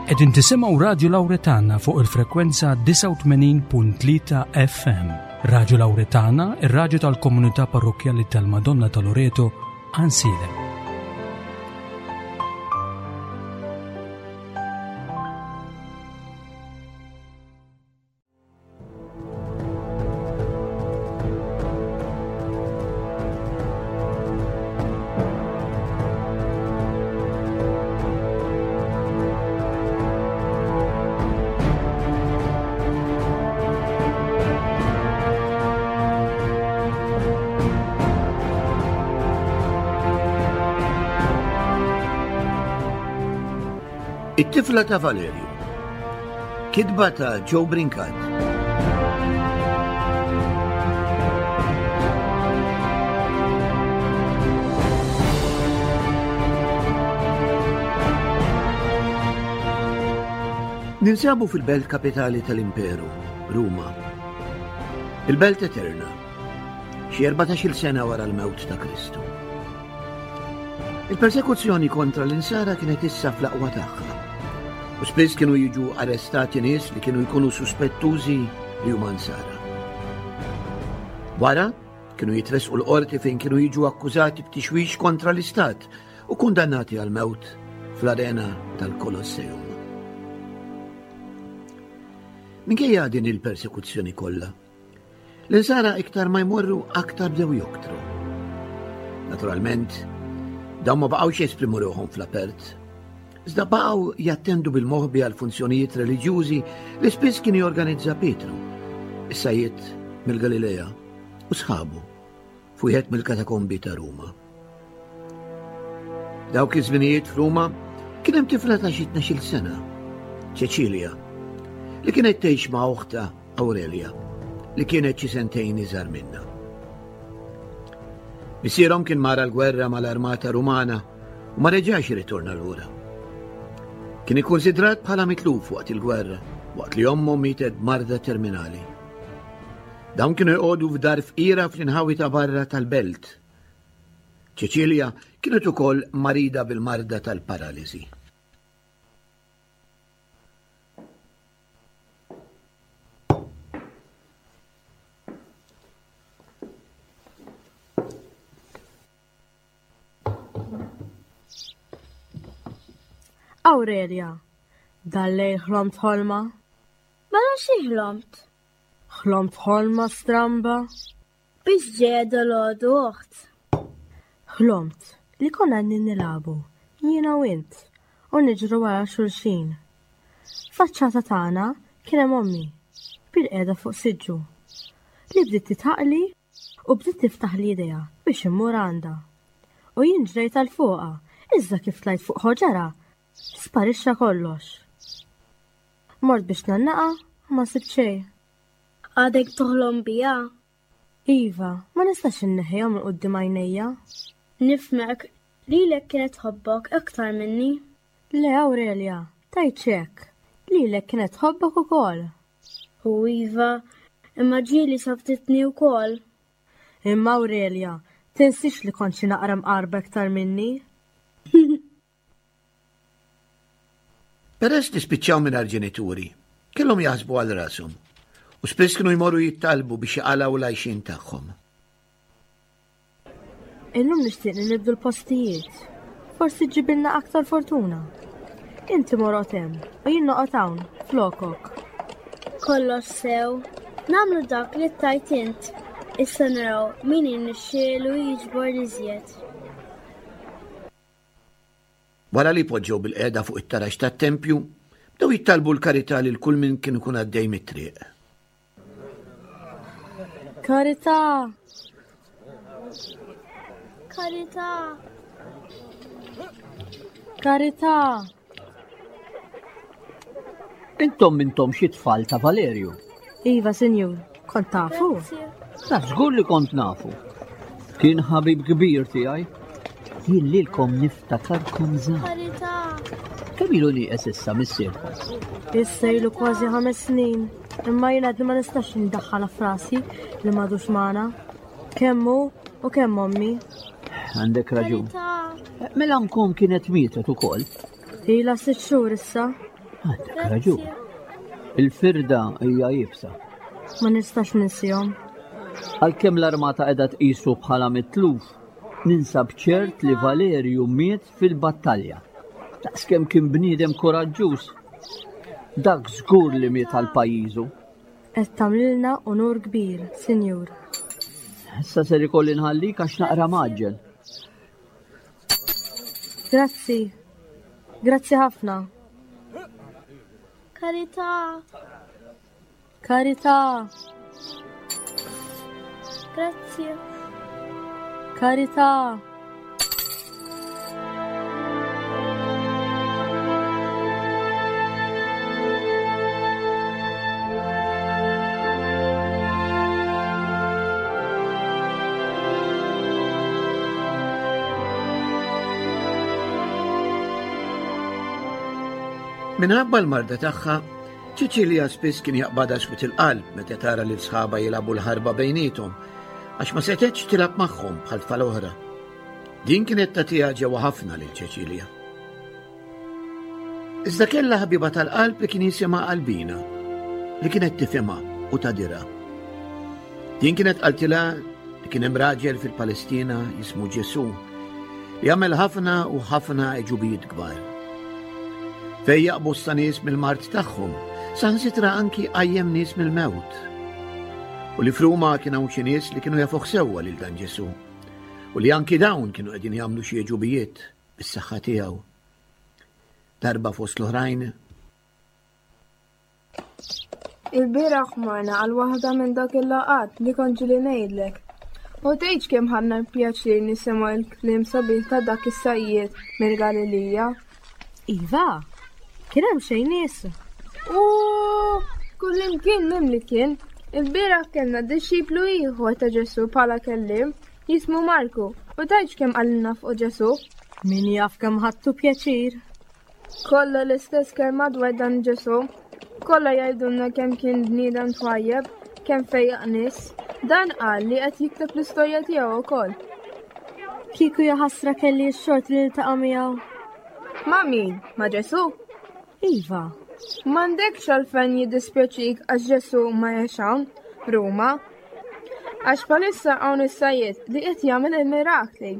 Qegħdin tisimgħu Radju Lawretana fuq il-frekwenza 89.3 FM. Radju Lawretana, ir-radju tal-komunità parrokkjali tal-Madonna ta' Loreto, Ansilem. It-tifla ta' Valerju. Kitba ta' Joe Brincat. Ninsabu fil-belt kapitali tal-Imperu, Ruma. Il-belt eterna, xi 14-il sena wara l-mewt ta' Kristu. Il-persekuzzjoni kontra l-insara kienet issa fl-aqwa tagħha. U spiss kienu jiġu arrestati nies li kienu jkunu suspettużi li huma nsara. Wara, kienu jitresqu l-qorti fejn kienu jiġu akkużati b'tixwix kontra l-istat u kundannati għal mewt fl-arena tal-Kolosseum. Minkejja din il-persekuzzjoni kollha, L-insara iktar ma jmorru aktar bdew joktru. Naturalment, dawn ma baqgħux jesprimu ruħhom fl-apert, iżda baqgħu jattendu bil-moħbi għal funzjonijiet reliġjużi li spiss kien jorganizza Pietru, is-sajjied mill-Galilea u sħabu f'wieħed mill-katakombi ta' Ruma. Dawk iż-żminijiet f'Ruma kien hemm tifla ta' xi tnax-il sena, Ċeċilja, li kienet tgħix ma' oħtha Aurelia, li kienet xi sentejn iżgħar minnha. Missierhom kien mar għall-gwerra mal-armata Rumana u ma reġax irritorna lura. Kien ikkunsidrat bħala mitluf waqt il-gwerra, waqt li ommu mietet b'marda terminali. Dawn kienu jqogħdu f'dar fqira fl-inħawi ta' barra tal-belt. Ċeċilja kienet ukoll marida bil-marda tal-paralisi. Aurelia, dal-lejl ħlomt ħolma? Mela xi ħlomt? Ħlomt ħolma stramba? Biex ġejja dolodu oħt. Ħlomt li konna qegħdin nilagħbu, jiena u int, u niġru wara xulxin. Faċċata tagħna kien hemm ommi, bilqiegħda fuq siġġu, li bdiet titħaqli u bdiet tiftaħli idejha biex immur għandha. U jien ġrejt għal fuqha, iżda kif tlajt fuq ħoġarha, sparixxa kollox. Mort biex ngħannaqha u ma sibt xejn. Għadek toħlom biha? Iva, ma nistax inneħħiha minn quddiem għajnejja. Nifhmek, lilek kienet tħobbok aktar minni. Le Aurelia, tgħidx hekk. Lilek kienet tħobbok ukoll. U iva, imma ġieli sabtitni wkoll. Imma Aurelia, tinsiex li kont xi naqra mqarba iktar minni. Peress li spiċċaw mingħajr ġenituri, kellhom jaħsbu għal rashom u spiss kienu jmorru jittalbu biex jaqalgħu l-għajxien tagħhom. Illum nixtieq li nibdu l-postijiet. Forsi ġibilna aktar fortuna. Inti morot hemm u jien noqgħod hawn flokok. Kollox sew, nagħmlu dak li tajt int. Issa naraw min irnexxielu jiġbor iżjed. Wara li poġġew bilqiegħda fuq it-taraġ tat-tempju, bdew jittalbu l-karità lil kull min kien ikun għaddej mit-triq. Karità! Karità! Karità! Intom mintom xi tfal ta' Valerju. Iva, sinjur, kont tafu? Naf żgur li kont nafu. Kien ħabib kbir tiegħi. Jien lilkom niftakarkom żgħar. Kemm ilu nieqes issa missierkom? Issa ilu kważi ħames snin, imma jien għadni ma nistax indaħħalha f'rasi li m'għadux magħna. Kemm hu u kemm ommi. Għandek raġun. Mela nkom kienet mietet ukoll. Ilha sitt xhur issa. Għandek raġun. Il-firda hija iebsa. Ma nistax ninsihom. Għalkemm l-armata qiegħda tqisu bħala mitluf, ninsab ċert li Valerju miet fil-battalja. Daqskemm kien bniedem kuraġġuż. Dak żgur li miet għal pajjiżu. Qed tagħmlilna unur kbir, Sinjur. Issa ser ikolli nħallik għax naqra maġġel. Grazzi. Grazzi ħafna. Karità. Karità. Grazzi. Karità. Minħabba l-marda tagħha, Ċiċilja spiss kien jaqbadha swit il-qalb meta tara lil sħaba jilagħbu l-ħarba bejniethom, għax ma setgħetx tilgħab magħhom bħal tfal oħra. Din kienet tagħtiha ġewwa ħafna lil Ċeċilja. Iżda kellha ħabiba tal-qalb li kien jisimha Albina, li kienet tifhimha u tagħdirha. Din kienet qaltilha li kien hemm raġel fil-Palestina jismu Ġesù li għamel ħafna u ħafna għeġubijiet kbar. Fejjaq bosta nies mill-mard tagħhom, saħansitra anki qajjem nies mill-mewt. U li f'Ruma kien hawn xi nies li kienu jafuh sewwa lil dan Ġesù. U li anki dawn kienu qegħdin jagħmlu xi għeġubijiet bis-saħħa tiegħu. Darba fost l-oħrajn. Il-bieraħ morna għal waħda minn dak il-laqgħat li kont ġieli ngħidlek. U tgħidx kemm ħadna pjaċir nisimgħu l-kliem sabiħ ta' dak is-sajjied mill-Galilija. Iva, kien hemm xejn nies. U kullimkien mimli kien. Il-bieraħ kellna dixxiplu ieħor ta' Ġesù bħala kelliem. Jismu Marku, u tgħidx kemm qalilna fuq Ġesù. Min jaf kemm ħadtu pjaċir. Kollha l-istess kelma dwar dan Ġesù. Kollha jgħidulna kemm kien bniedem twajjeb, kemm fejjaq nies. Dan qal li qed jikteb l-istorja tiegħu wkoll. Kieku jaħasra kelli x-xort li niltaqa' miegħu. Ma' min? Ma' Ġesù? Iva. M'għandekx għalfejn jiddispjaċik għax Ġesù ma jgħix hawn, Ruma. Għax bħalissa hawn is-sajjied li qed jagħmel il-mirakli.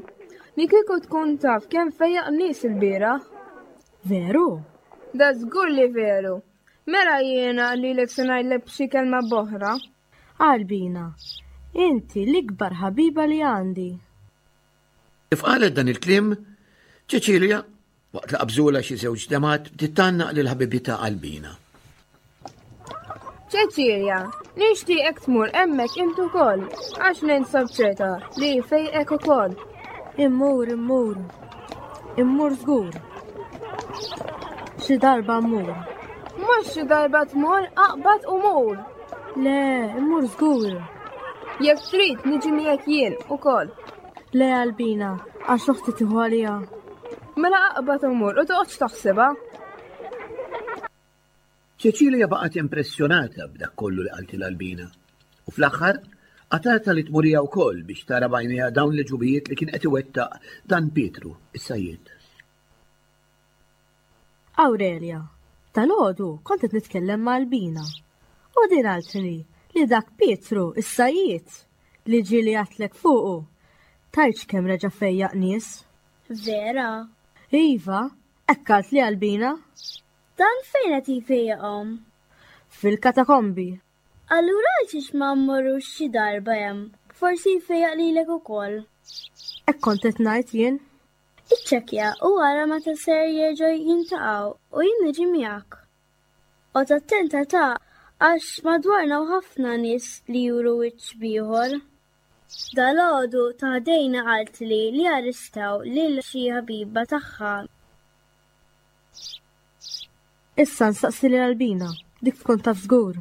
Li kieku tkun taf kemm fejjaq nies il-bieraħ. Veru? Da żgur li veru. Mela jiena lilek se ngħidlek b'xi kelma b'oħra. Albina, inti l-ikbar ħabiba li għandi. Kif qalet dan il-kliem, Ċeċilja Waqt li qabżulha xi żewġ demgħat bdiet tgħannaq lil ħabibitha Albina. Ċeċilja, nixtieqek tmur hemmhekk int ukoll, għax ninsab ċerta li fejqek ukoll. Immur, immur. Immur żgur. Xi darba mmur. Mhux xi darba tmur, aqbad u mur. Le, immur żgur. Jekk trid niġi miegħek jien ukoll. Le Albina, għax oħti tieħu għalija. Mela aqbad u mur u toqgħodx taħsibha. Ċeċilja baqgħet impressjonata b'dak kollu li qaltilha Albina u fl-aħħar qatgħetha li tmur hija wkoll biex tara b'għajnejha dawn l-għeġubijiet li kien qed iwettaq dan Pietru, is-sajjied. Awrelja, dalgħodu kont qed nitkellem ma' Albina u din qaltli li dak Pietru, is-sajjied, li ġieli għedtlek fuqu, tgħidx kemm reġa' fejjaq nies. Vera? Iva, hekk qaltli Albina. Dan fejn qed jfejjaqhom? Fil-katakombi. Allura għalxiex ma mmorrux xi darba hemm? Forsi jfejjaq lilek ukoll. Hekk kont qed ngħid jien. Iċċekkja u ara meta ser jerġgħu jintaqgħu u jien niġi miegħek. Oqgħod attenta ta' għax madwarna hawn ħafna nies li juru wiċċ b'ieħor. Dalgħodu ta' ħdejna qaltli li arrestaw lil xi ħabiba tagħha. Issa nsaqsi lil Albina, dik tkun taf żgur.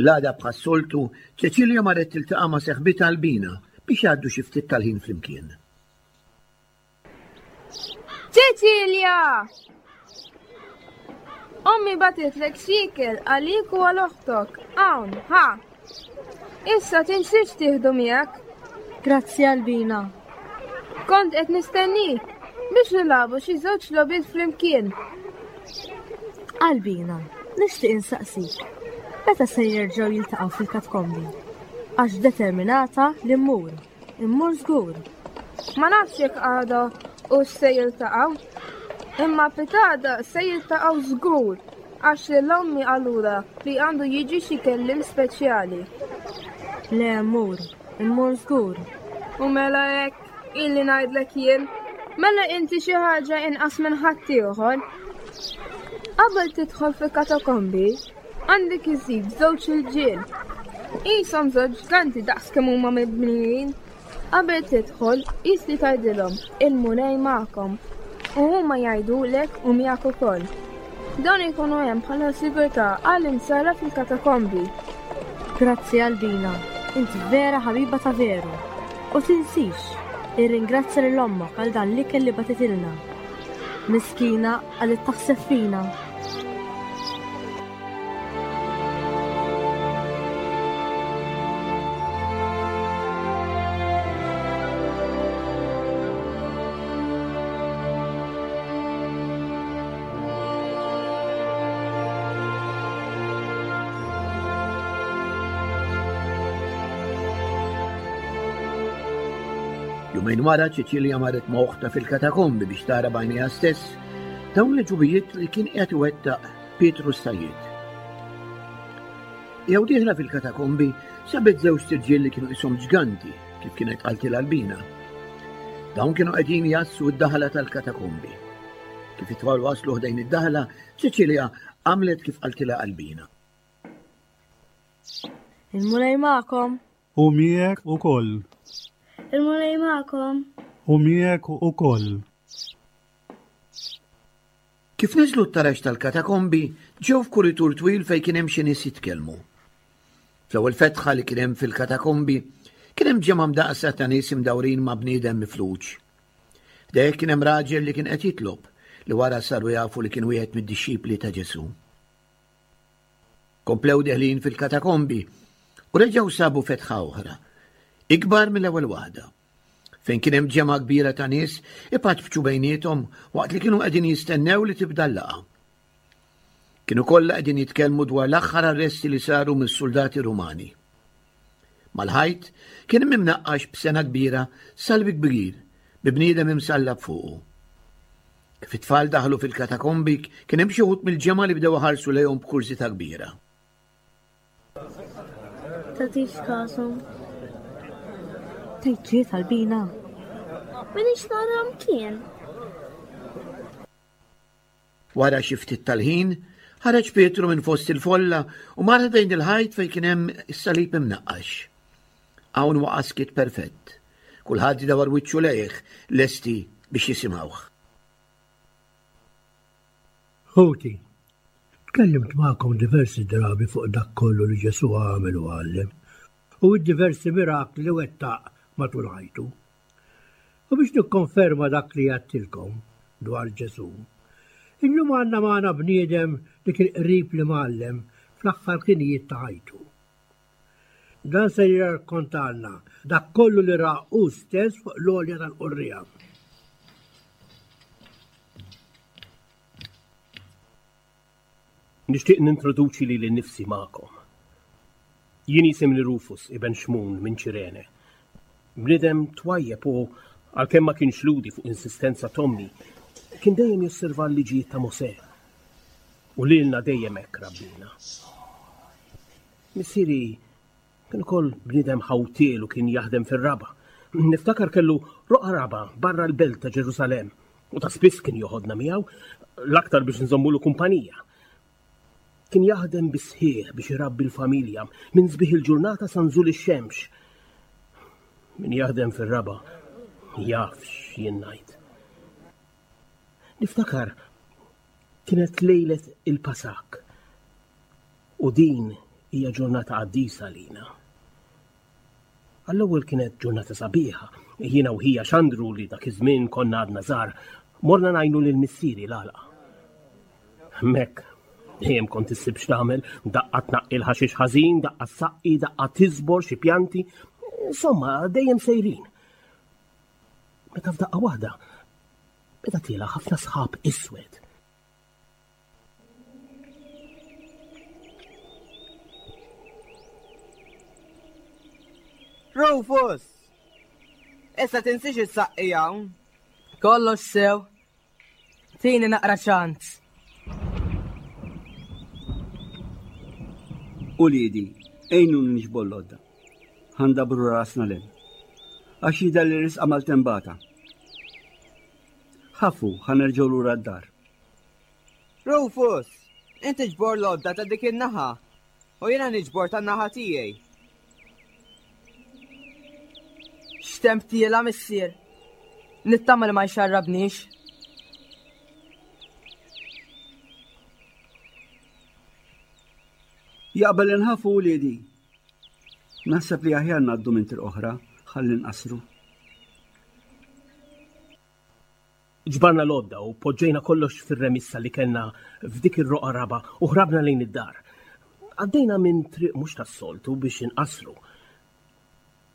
L-għada bħas-soltu, Ċeċilja marret tiltaqa' ma' seħbitha Albina biex jgħaddu xi ftit tal-ħin flimkien. Ċeċilja! Ommi batitlek xiekel għalik u għal oħtok. Hawn, ha! Issa tinsiex tieħdu miegħek. Grazzi Albina. Kont qed nistennik. Biex nilagħbu xi żewġ logħbiet flimkien. Albina, nixtieq insaqsik. Meta se jerġgħu jiltaqgħu fil-katkombi? Għax determinata li mmur. Immur żgur. Ma nafx jekk għada u se jiltaqgħu. Imma pitada se jiltaqgħu żgur għax lil ommi qalula li għandu jiġi xi kellim speċjali. Le mmur, immur żgur. U mela hekk illi ngħidlek jien, mela inti xi ħaġa inqas minn ħaddieħor. Qabel tidħol fil-katakombi, Għandek iżid żewġ irġiel. Qishom żewġ ġganti daqs kemm huma mibnijin. Qabel tidħol, qis li tgħidilhom, il-Mulej magħkom. U huma jgħidulek u miegħek ukoll. Dawn ikunu hemm bħala sigurtà għal insara fil-katakombi. Grazzi Albina, inti vera ħabiba ta' veru. U tinsix, irringrazzja lil ommok għal dan l-ikel li batitilna. Miskina għalit taħseb fina. Jumejn wara Ċiċilja marret ma' oħtha fil-katakombi biex tara b'għajnejha stess dawn l-ġubijiet li kien qiegħed iwettaq Pietru s-Sajjied. Jew dieħla fil-katakombi sabet żewġ tirġiel li kienu qishom ġganti kif kienet qaltilha Albina. Dawn kienu qegħdin jassu d-daħla tal-katakombi. Kif it-tfal waslu ħdejn id-daħla, Ċeċilja għamlet kif qaltilha Albina. Il-Mulej magħkom. U miegħek ukoll. Il-Mulej magħkom. U miegħek ukoll. Kif niżlu t-taraġ tal-katakombi, ġew f'kuritur twil fejn kien hemm xi nies jitkellmu. Fl-ewwel fetħa li kien hemm fil-katakombi, kien hemm ġemgħa mdaqqsa ta' nies imdawrin ma' bniedem mifluġ. Ħdejh kien hemm raġel li kien qed jitlob, li wara saru jafu li kien wieħed mid-dixxipli ta' Ġesù. Komplew deħlin fil-katakombi u reġgħu sabu fetħa oħra, ikbar mill-ewwel waħda, fejn kien hemm ġemgħa kbira ta' nies ipaċpċu bejniethom waqt li kienu qegħdin jistennew li tibda l-laqgħa. Kienu kollha qegħdin jitkellmu dwar l-aħħar arresti li saru mis-suldati Rumani. Mal-ħajt kien hemm imnaqqax b'sena kbira salib kbir bi bniedem imsallab fuqu. Kif it-tfal daħlu fil-katakombi, kien hemm xi wħud mill-ġemgħa li bdew iħarsu lejhom b'kurżità kbira. Tagħtix kasu. Tgħid ġiet Albina. Minix nara mkien. Wara xi ftit tal-ħin, ħareġ Pietru minn fost il-folla u mar ħdejn il-ħajt fejn kien hemm is-salib imnaqqax. Hawn waqa' skiet perfett. Kulħadd dawar wiċċu lejh, lesti biex jisimgħuh. Ħuti, tkellimt magħkom diversi drabi fuq dak kollu li Ġesù għamel u għallem, u d-diversi mirakli li wettaq matul ħajtu. U biex nikkonferma dak li għedtilkom dwar Ġesù, illum għandna magħna bniedem li kien qrib l-Imgħallem fl-aħħar ħinijiet ta' ħajtu. Dan se jirrakkontalna dak kollu li ra hu stess fuq l-għolja tal-Qurriegħa. Nixtieq nintroduċi lili nnifsi magħkom. Jien jisimni Rufus, iben Xmun minn Ċirene. Bniedem twajjeb u, għalkemm ma kienx Lhudi fuq insistenza t'ommi, kien dejjem josserva l-liġijiet ta' Mosè. U lilna dejjem hekk rabbina. Missieri Kien ukoll bniedem ħawtiel u kien jaħdem fir-raba'. Niftakar kellu roqgħa raba' barra l-belt ta' Ġerusalemm u ta' spiss kien joħodna miegħu, l-aktar biex nżommulu kumpanija. Kien jaħdem bis-sħiħ biex irabbi l-familja minn sbieħ il-ġurnata sa nżul ix-xemx. Min jaħdem fir-raba' jaf x'jien ngħid. Niftakar kienet lejlet il-Pasak u din hija ġurnata qaddisa għalina. Għall-ewwel kienet ġurnata sabiħa, jiena u ħija Xandru li dak iż-żmien konna għadna żgħar, morna ngħinu lil missieri l-għalqa. Hemmhekk dejjem kont issib x'tagħmel, daqqa tnaqqi l-ħaxix ħażin, daqqa ssaqqi, daqqa tiżbor xi pjanti, insomma dejjem sejrin. Meta f'daqqa waħda. Beda tiela' ħafna sħab iswed. Rufus! Issa tinsiex is-saqqi hawn. Kollox sew. Tini naqra ċans. Uliedi, għinu nġbor l-għodda. Ħandabru rasna lem. Għax jidher li risqa mal-tembata. Ħafu, ħanerġgħu lura d-dar. Rufus, inti ġbor l-għodda ta' dik in-naħa u jiena niġbor tan-naħa tiegħi. X'temp tiela missier. Nittama li ma jxarrabnix. Jaqbel inħafu wliedi. Naħseb li aħjar ngħaddu minn triq oħra ħalli nqasru. Ġbarna l-għodda u poġġejna kollox fir-remissa li kellna f'dik ir-roqgħa raba' u ħrabna lejn id-dar. Għaddejna minn triq mhux tas-soltu biex inqassru.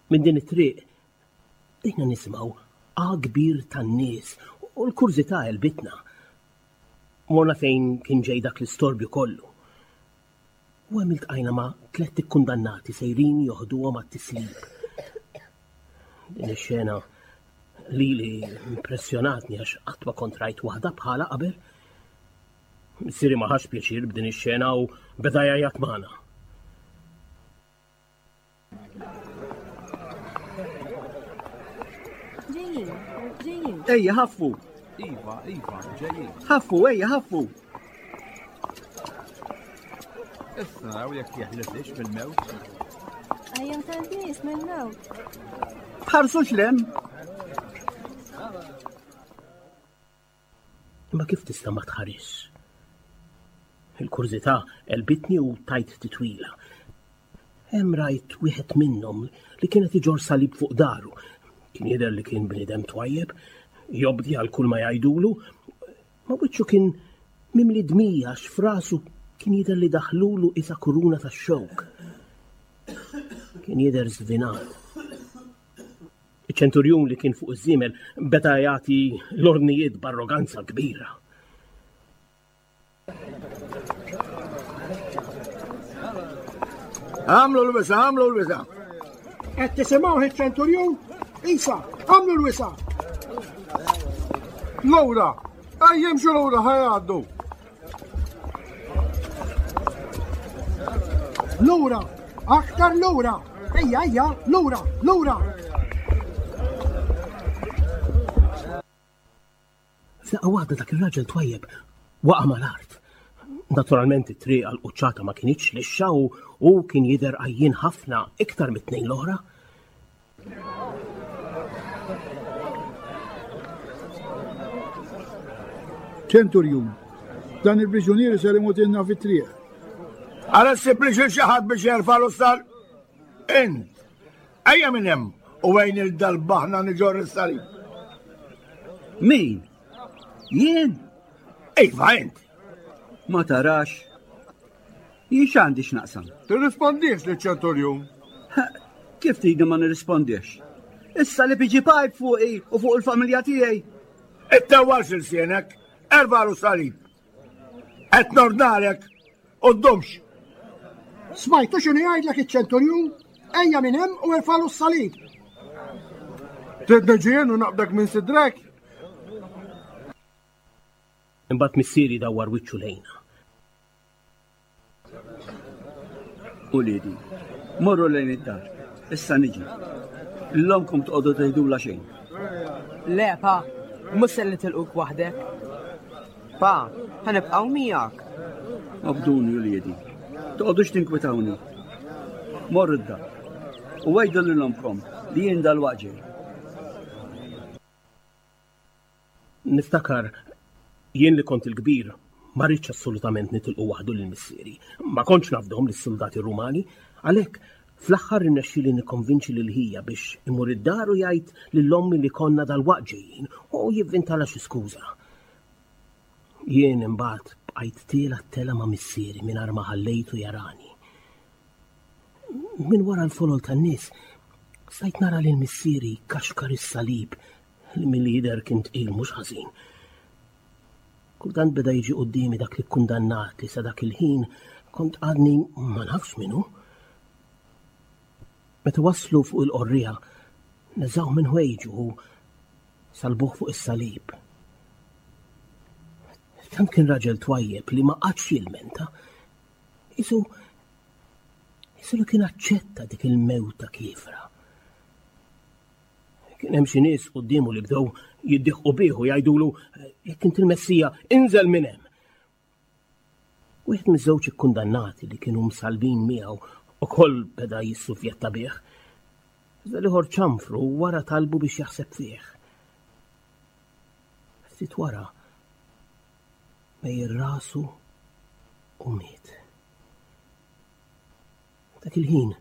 Minn din it-triq bdejna nisimgħu għa kbir tan-nies u l-kurżità għelbitna. Morna fejn kien ġej dak l-istorbju kollu. U hemm iltqajna ma' tlett ikkundannati sejrin joħduhom għat-tislib. Din ix-xena lili impressjonatni għax qatt ma kont rajt waħda bħala qabel. Missieri ma ħax pjaċir b'din ix-xena u beda jgħajjat magħna. Ġejjin, ġejjin. Ejja, ħaffu. Iva, iva, ġejjin. Ħaffu, ejja, ħaffu. Issa naraw jekk jeħlisix mill-mewt. Ejjem tal-nies mill-mewt. Tħarsux lem. Imma kif tista' ma tħarisx? Il-kurżità għelbitni u tajt titwila. Hemm rajt wieħed minnhom li kien qed iġorr salib fuq daru. Kien jidher li kien bniedem twajjeb, jobdi għal kull ma jgħidulu, ma wiċċu kien mimli dmija għax f'rasu kien jidher li daħlulu isa kuruna tax-xewk. Kien jidher żvinat. Iċ-ċenturjun li kien fuq iż-żiemel beda jagħti l-ordnijiet b'arroganza kbira. Għamlu l-wisa, għamlu l-wisa. Qed tisimgħu iċ-ċenturjun? Isa, għamlu l-wisa. Lura, ejjem jimxu lura ħajgħaddu. Lura, aktar lura. Ejja, ejja, lura, lura. F'daqqa waħda dak ir-raġel twajjeb waqa' mal-art. Naturalment it-triq għal quċċata ma kinitx lixxa u hu kien jidher għajjien ħafna iktar mit-tnejn l-oħra. Ċenturjun, dan il-priġunier ser imutilna fit-triq. Ara ssib li xi ħadd biex jerfa' l-ustar. Int, ejja minn hemm u għejn il-dalbaħna niġor is-salib. Min? Jien? Iva, int. Ma tarax. Jien x'għandi x'naqsam? Tirrispondix li ċenturjun. Kif tridni ma nirrispondix? Issa li biġi pajp fuqi u fuq il-familja tiegħi. Ittewwalx ilsienek, erbalu salib. Qed nordnalek u ddumx. Smajtu x'inhu jgħidlek iċ-ċenturjun? Ejja minn hemm u erfalu s-salib. Trid niġi jien u naqbdek minn sidrek? Imbagħad missieri dawwar wiċċu lejna. Uliedi, morru lejn id-dar. Issa niġi. L-omkom tqogħdu tgħidula xejn. Le, pa, mhux se nitilquk waħdek. Pa, ħanibqgħu miegħek. Obduni uliedi. Toqgħodux tinkwitawni. Morru d-dar. U għidu lil omkom li jien dal-waqt ġej. Niftakar jien li kont il-kbir ma ridtx assolutament nitilqu waħdu lil missieri. Ma kontx nafdhom lis-suldati Rumani, għalhekk fl-aħħar irnexxieli nikkonvinċi lil ħija biex imur id-dar u jgħid lil ommi li konna dalwaqt ġejjin u jivvintalha xi skuża. Jien imbagħad bqajt tiela' t-telgħa ma' missieri mingħajr ma ħallejtu jarani. Minn wara l-folol tan-nies stajt nara lil missieri jkaxkar is-salib li milli jidher kien tqil mhux ħażin. Kultant beda jiġi quddiemi dak li kkundannat li sa dak il-ħin kont għadni ma nafx minnu. Meta waslu fuq il-qorriegħa, neżgħuh minn ħwejġu u salbuh fuq is-salib. Tant kien raġel twajjeb li ma qatx jilmenta. Isu isu li kien aċċetta dik il-mewta kiefra. Kien hemm xi nies quddiemu li bdew jiddiħqu bih u jgħidulu jekk int il-Messija, inżel minn hemm. Wieħed miż-żewġ ikkundannati li kienu msalbin miegħu ukoll beda jissufjetta bih. Iżda l-ieħor ċanfru wara talbu biex jaħseb fih. Ftit wara mejjel rasu u miet. Dak il-ħin,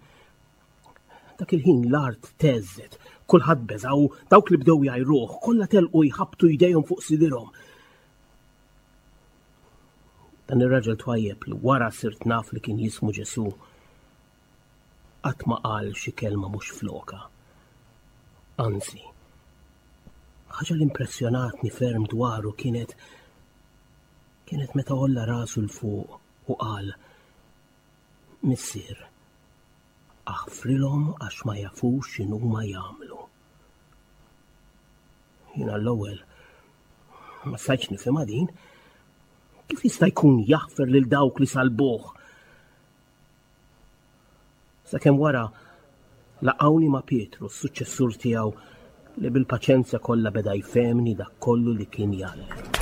dak il-ħin l-art teżżet, kulħadd beża' u dawk li bdew jgħajruh kollha telqu jħabbtu jdejhom fuq sidirhom. Dan ir-raġel twajjeb li wara sirt naf li kien jismu Ġesù qatt ma qal xi kelma mhux floka. Anzi, ħaġa li impressjonatni ferm dwaru kienet kienet meta għolla rasu 'l fuq u qal Missier, aħfrilhom għax ma jafux x'inhuma jagħmlu. Jien għall-ewwel ma stajtx nifhimha din. Kif jista' jkun jaħfer lil dawk li salbuh? Sakemm wara laqgħuni ma' Pietru, s-suċċessur tiegħu, li bil-paċenzja kollha beda jfehmni dak kollu li kien jgħallem.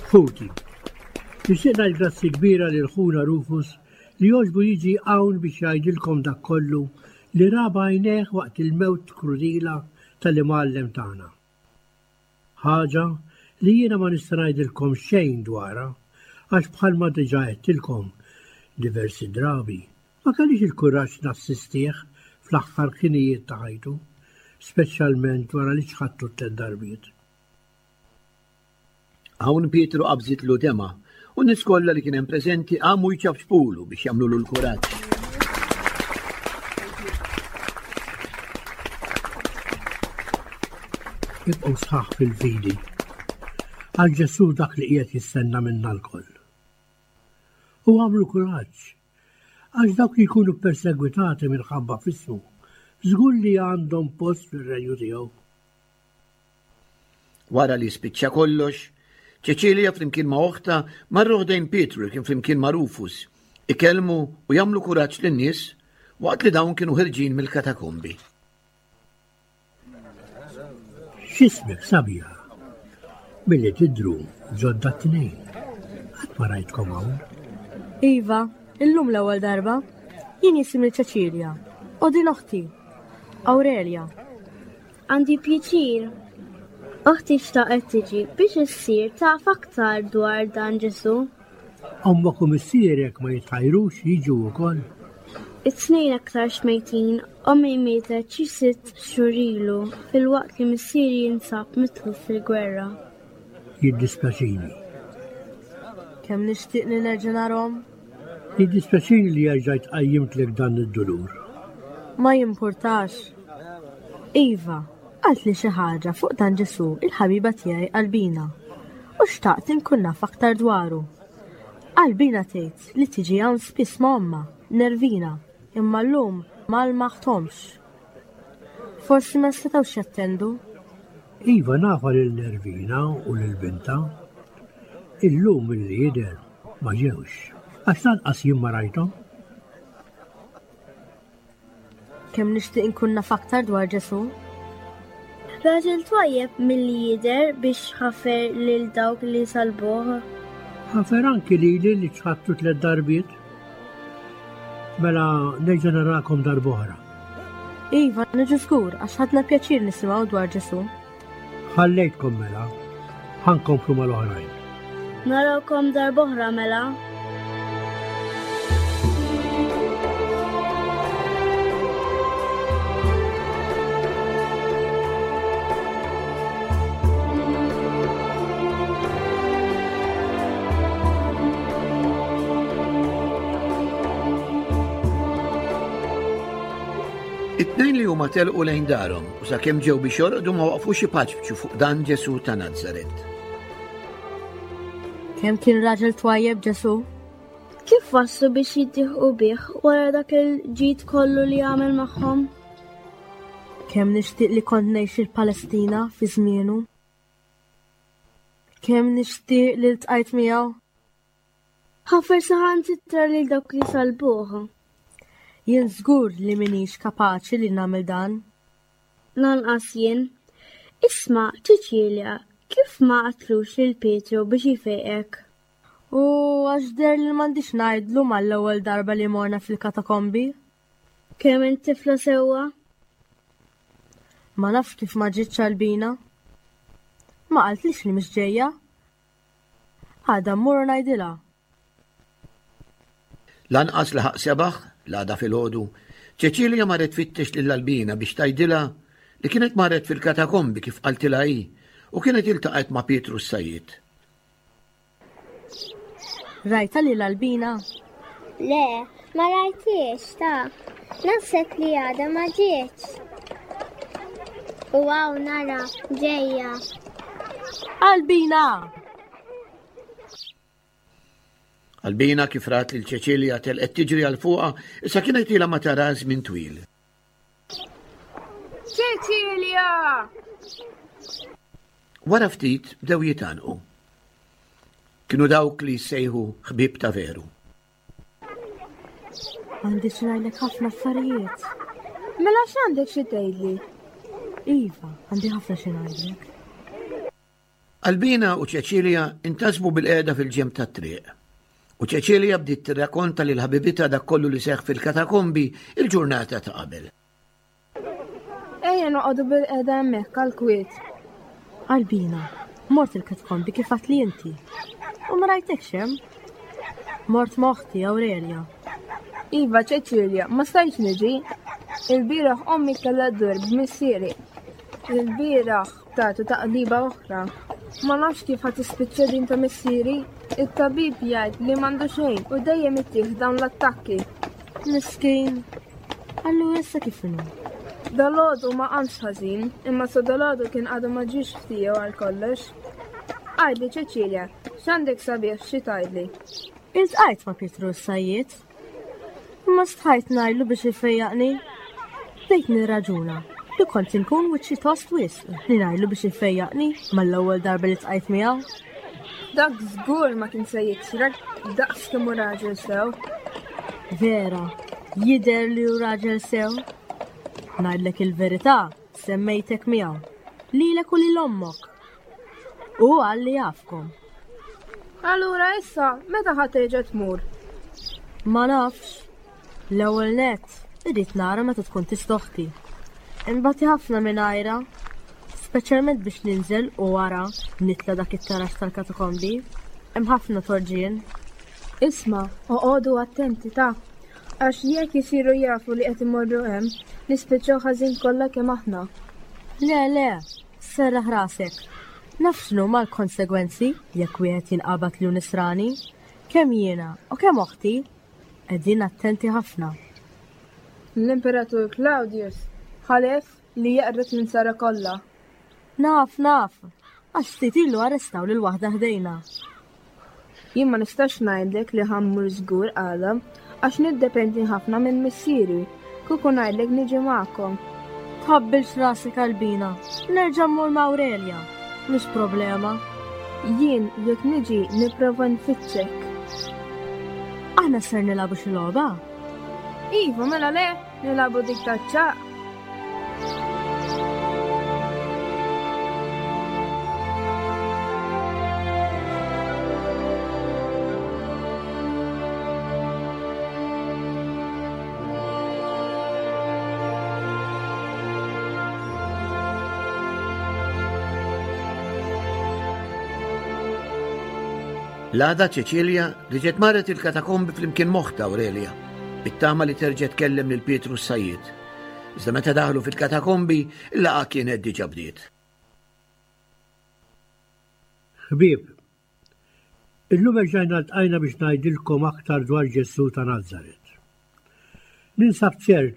Ħuti, nixtieq ngħid grazzi kbira lil ħuna Rufus li jogħġbu jiġi hawn biex jgħidilkom dak kollu li ra b'għajnejh waqt il-mewt krudila tal-imgħallem tagħna. Ħaġa li jiena ma nista' ngħidilkom xejn dwarha għax bħalma diġà għedtilkom diversi drabi, ma kellix il-kuraġġ nassistih fl-aħħar ħinijiet ta' ħajtu, speċjalment wara li ċħadtu tlett darbiet. Hawn Pietru qabżitlu demgħa u n-nies kollha li kien hemm preżenti qamu jċapċpulu biex jagħmlulu l-kuraġġ. Ibqgħu sħaħ fil-fidi. Għal Ġesù dak li qiegħed jistenna minna lkoll. U għamlu kuraġġ, għax dawk li jkunu ppersegwitati minħabba f'ismu, żgur li għandhom post fir-renju tiegħu. Wara li spiċċa kollox, Ċeċilja flimkien ma' oħtha marru ħdejn Pietru li kien flimkien ma' Rufus, ikellmu u jagħmlu kuraġġ lin-nies waqt li dawn kienu ħirġin mill-katakombi. X'ismek sabiħa? Milli tidhru ġodda t-tnejn. Qatt ma rajtkom hawn. Iva, illum l-ewwel darba. Jien jisimni Ċeċilja u din oħti, Aurelia. Għandi pjaċir. Oħti xtaqet tiġi biex issir taf aktar dwar dan Ġesù. Ommok u missierek ma jitħajrux jiġu wkoll? It-tnejn aktarx mejtin, ommi mietet xi sitt xhur ilu filwaqt li missieri jinsab mitluf fil-gwerra. Jiddispjaċini. Kemm nixtieq li nerġa' narhom. Jiddispjaċini li erġajt qajjimtlek dan id-dulur. Ma jimpurtax. Iva, qaltli xi ħaġa fuq dan Ġesù il-ħabiba tiegħi Albina u xtaqt inkun naf aktar dwaru. Albina tgħid li tiġi hawn spiss ma' ommha, Nervina, imma llum ma lmaħthomx. Forsi ma setgħux jattendu. Iva nafha lil Nervina u lil bintha. Illum milli jidher ma ġewx. Għax lanqas jien ma rajthom. Kemm nixtieq inkun naf aktar dwar Ġesù. Raġel twajjeb milli jidher biex ħafer lil dawk li salbuh. Ħafer anki lili li ċħadtu tlett darbiet. Mela nerġa' narakom darb'oħra. Iva, niġu żgur għax ħadna pjaċir nisimgħu dwar Ġesù. Ħallejtkom mela, ħa nkomplu mal-oħrajn. Narawkom darb'oħra mela. It-tnejn li huma telqu lejn darhom u sakemm ġew biex jorqdu ma waqfux ipaċpċu fuq dan Ġesù ta' Nazaret. Kemm kien raġel twajjeb Ġesù? Kif waslu biex jiddieħqu bih wara dak il-ġid kollu li għamel magħhom? Kemm nixtieq li kont ngħix il-Palestina fi żmienu? Kemm nixtieq li ltqajt miegħu? Ħafer saħansitra lil dawk li salbuh. Jien żgur li m'iniex kapaċi li nagħmel dan. Lanqas jien. Isma', Ċiċilja, kif ma għadtlux lil Pietru biex jfejqek? U għax deher li m'għandix ngħidlu mal-ewwel darba li morna fil-katakombi. Kemm int tifla sewwa? Ma nafx kif ma ġietx Albina. Ma qaltlix li mhix ġejja. Għada mmur u ngħidilha. Lanqas laħaq sebaħ, l-għada filgħodu, Ċeċilja marret tfittex lil Albina biex tgħidilha li kienet marret fil-katakombi kif qaltilha hi u kienet iltaqgħet ma' Pietru s-sajjied. Rajtha lil Albina? Le, ma rajthiex ta. Naħseb li għadha ma ġietx. U hawn nara ġejja. Albina! Albina kif rat lil Ċeċilja telqet tiġri għal fuqha, issa kienet ilha ma tara żmien twil. Ċeċilja! Wara ftit bdew jitgħannqu. Kienu dawk li jissejħu ħbieb ta' veru. Għandi xi ngħidlek ħafna affarijiet. Mela x'għandek xi tgħidli? Iva, għandi ħafna xi ngħidlek. Albina u Ċeċilja intasbu bil-qiegħda fil-ġenb tat-triq. U Ċeċilja bdiet tirrakonta lil ħabibitha dak kollu li seħħ fil-katakombi il-ġurnata ta' qabel. Ejja noqogħdu bil-qeda hemmhekk għall-kwiet. Albina, mort il-katkombi kif li inti. U ma rajtekx hemm. Mort ma' oħti Aurelia. Iva Ċeċilja, ma stajtx niġi. Il-bieraħ ommi kellha ddur b'missieri. Il-bieraħ tagħtu taqliba oħra. Ma nafx kif ħa tispiċċa din ta' missieri. It-tabib jgħid li m'għandu xejn u dejjem ittih dawn l-attakki. Miskin. Allura issa kif inhu? Dalgħodu ma qamx ħażin, imma sa dalgħodu kien għadu ma ġiex ftiegħu għal kollox. Għidli Ċeċilja, x'għandek sabiħ xi tgħidli? Iltqajt ma' Pietru s-sajjied. Imma stħajt ngħidlu biex ifejjaqni. Bdejt nirraġuna li kont inkun wiċċi tost wisq li ngħidlu biex ifejjaqni mal-ewwel darba li tqajt miegħu. Dak żgur ma kien se jiksrek daqs kemm hu raġel sew. Vera, jidher li hu raġel sew. Ngħidlek il-verità, semmejtek miegħu. Lilek u lil ommok. U qal li jafkom. Allura issa, meta ħa terġa' tmur? Ma nafx. L-ewwel nett, irrid nara meta tkun tista' oħti. Inbati ħafna mingħajrha, speċjalment biex ninżel u wara nitla' dak it-taraġ tal-katakombi. Hemm ħafna torġien. Isma', oqogħdu attenti ta', għax jekk isiru jafu li qed imorru hemm, nispiċċaw ħażin kollha kemm aħna. Le, le, serraħ rasek. Naf x'inhuma l-konsegwenzi jekk wieħed jinqabad li hu nisrani, kemm jiena u kemm oħti. Qegħdin attenti ħafna. L-Imperatur Claudius ħalef li jeqred l-insara kollha. Naf, naf, għax ftit ilu arrestaw lil waħda ħdejna. Jien ma nistax ngħidlek li ħa mmur żgur għada, għax niddependi ħafna minn missieri. Kieku ngħidlek niġi magħkom. Tħabbilx rasek Albina, nerġa' mmur ma' Aurelia, mhix problema. Jien jekk niġi nipprova nfittxek. Aħna ser nilagħbu xi logħba? Iva, mela le, nilagħbu dik taċ-ċaq. L-għada Ċeċilja reġgħet marret il-katakombi flimkien m'oħtha Aurelia, bit-tama li terġa' tkellem lil Pietru s-sajjied. Iżda meta daħlu fil-katakombi, il-laqgħa kienet diġà bdiet. Ħbieb, illum erġajna ltqajna biex ngħidilkom aktar dwar Ġesù ta' Nazaret. Ninsab ċert.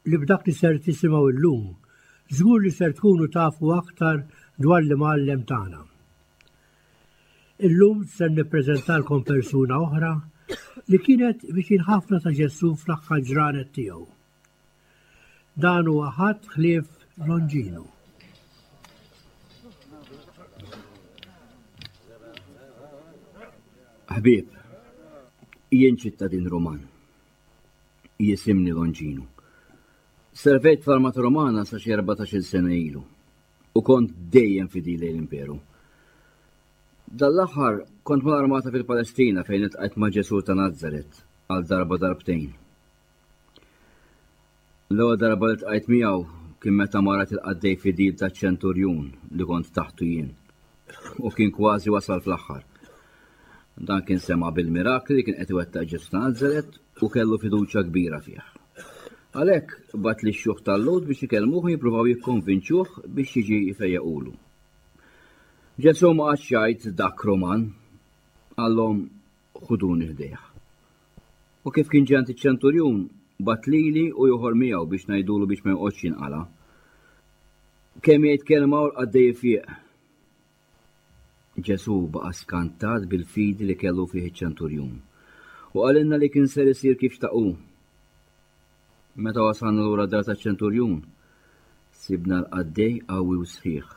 li b'dak li ser tisimgħu llum, żgur li ser tkunu tafu aktar dwar l-Imgħallem tagħna. Illum ser nippreżentalkom persuna oħra li kienet viċin ħafna ta' Ġesù fl-aħħar ġranet tiegħu. Dan huwa ħadd ħlief Longinu. Ħbieb, jien ċittadin Ruman. Jisimni Longinu. Servejt fl-Armata Romana sa xi 14-il sena ilu u kont dejjem fidil lejn l-Imperu. Dan l-aħħar kont mal-armata fil-Palestina fejn iltqajt ma' Ġesù ta' Nazaret għal darba darbtejn. L-ewwel darba li ltqajt miegħu kien meta marad il-qaddej fidil taċ-ċenturjun li kont taħtu jien u kien kważi wasal fl-aħħar. Dan kien sema' bil-mirakli li kien qed iwettaq Ġesù ta' Nazaret u kellu fiduċja kbira fih. Għalhekk bagħat lix-xjuħ tal-Lhud biex ikellmuh u jippruvaw jikkonvinċuh biex jiġi jfejjaqulu. Ġesù ma qagħadx jgħid dak Ruman, qallhom ħuduni ħdejh. U kif kien ġie għand iċ-ċenturjun, bagħat lili u ieħor miegħu biex ngħidulu biex ma joqgħodx jinqala'. Kemm jgħid kelma u l-qaddej ifieq. Ġesù baqa' skantat bil-fidi li kellu fih iċ-ċenturjun, u qalilna li kien ser isir kif xtaq hu. Meta wasalna lura d-dar taċ-ċenturjun, sibna l-qaddej qawwi u sħiħ.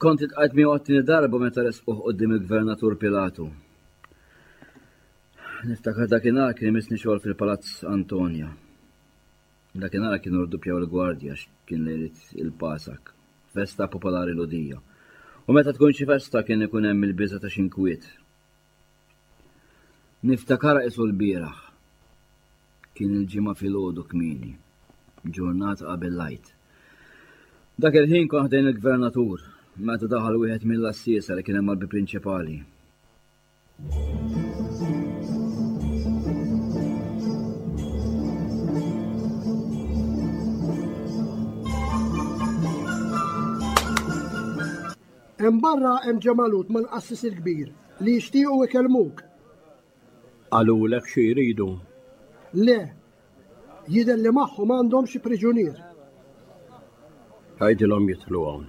Kont iltqajt miegħu għat-tieni darba meta resquh quddiem il-Gvernatur Pilatu. Niftakar dakinhar kien imissni xogħol fil-Palazz Antonia. Dakinhar kienu rduppjaw il-gwardja għax kien lejliet il-Pasak, festa popolari Lhudija. U meta tkun xi festa kien ikun hemm il-biża' ta' xi nkwiet. Niftakarha qisu lbieraħ. Kien il-Ġimgħa filgħodu kmieni, ġurnata qabel l-Għid. Dak il-ħin kont ħdejn il-gvernatur meta daħal wieħed mill-għassiesa li kien hemm mal-bieb prinċipali. Hemm barra hemm ġemalud mal-qassis il-kbir li jixtiequ ikellmuk. Qalulek xi jridu? Le, jidher li magħhom għandhom xi priġunier. Għidilhom jidħlu hawn.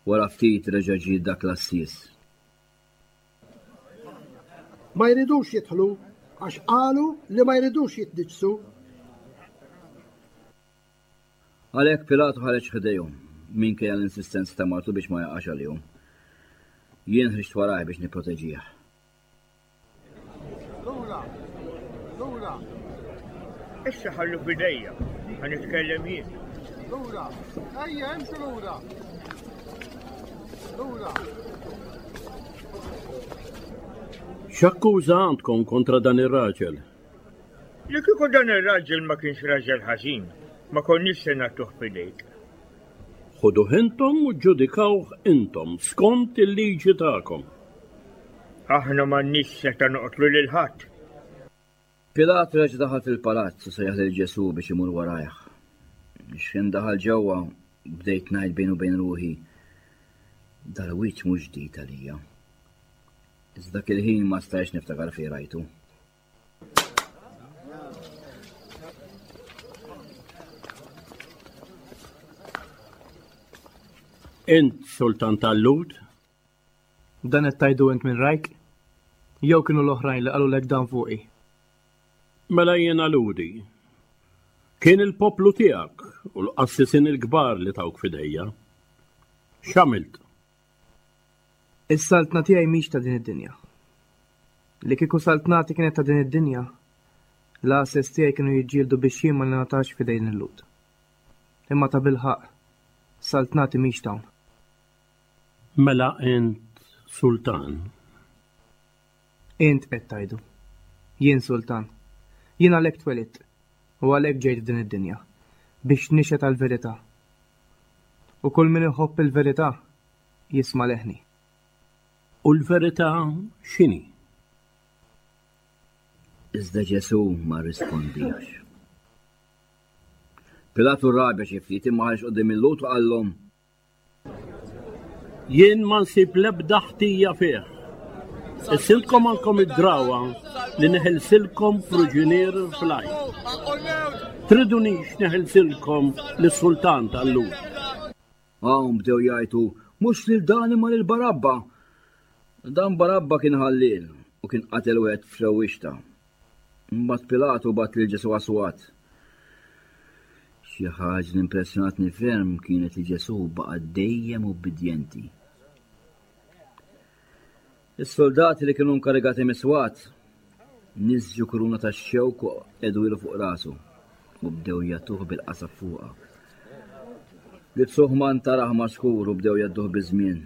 Wara ftit reġa' ġie dak l-għassies. Ma jridux jidħlu għax qalu li ma jridux jitniġġsu. Għalhekk Pilatu ħareġ ħdejhom, minkejja l-insistenza ta' martu biex ma jaqax għalihom. Jien ħriġt warajh biex nipproteġih. Lura! Lura! Issa ħallu f'idejja, ħa nitkellem jien. Lura! Ejja, imxu lura! Lura! X'akkuża għandkom kontra dan ir-raġel? Li kieku dan ir-raġel ma kienx raġel ħażin, ma konniex se nagħtuh f'idejk. Ħuduh intom u ġġudikawh intom skont il-liġi tagħkom. Aħna m'għandniex setgħa noqtlu lil ħadd. Pilat reġa' daħal fil-palazz u sejjaħ lil Ġesù biex imur warajh. X'ħin daħal ġewwa, bdejt ngħid bejn u bejn ruħi, dal-wiċċ mhux ġdid għalija. Iżda dak il-ħin ma stajtx niftakar fejn rajtu. Int sultan tal-Lhud? Dan qed tgħidu int minn rajk? Jew kienu l-oħrajn li qalulek dan fuqi? Mela jiena Lhudi. Kien il-poplu tiegħek u l-qassisin il-kbar li tawk f'idejja. X'għamilt? Is-saltna tiegħi mhix ta' din id-dinja. Li kieku saltnati kienet ta' din id-dinja, l-għases tiegħi kienu jiġġieldu biex jien ma ningħatax f'idejn il-Lhud. Imma tabilħaqq, saltnati mhix t'hawn. Mela int sultan? Int qed tgħidu. Jien sultan. Jien għalhekk twelidt, u għalhekk ġejt f'din id-dinja, biex nixhed għall-verità. U kull min iħobb il-verità jisma' leħni. U l-verità x'inhi? Iżda Ġesù ma rrispondiex. Pilatu rrabja xi ftit imma ħareġ quddiem il-Lhud u qallhom, Jien ma nsib l-ebda ħtija fih. Issilkom għandkom id-drawa li neħilsilkom pruġunier fl-għajn. Tridunix neħilsilkom lis-sultan tal-Lhud. Hawn bdew jgħajtu, mhux lil dan imma lil Barabba. Dan Barabba kien ħalliel u kien qatel wieħed f'rewwixta. Imbagħad Pilatu bagħat lil Ġesù għas-swat. Xi ħaġa li impressjonatni ferm kienet li Ġesù baqa' dejjem ubbidjenti. Is-soldati li kienu nkarigati mis-swat nisġu kuruna ta' xewk u qegħdu fuq rasu u bdew jagħtuh bil-qasab fuqha. Libsuh manta raħma skur u bdew jgħadduh biż-żmien.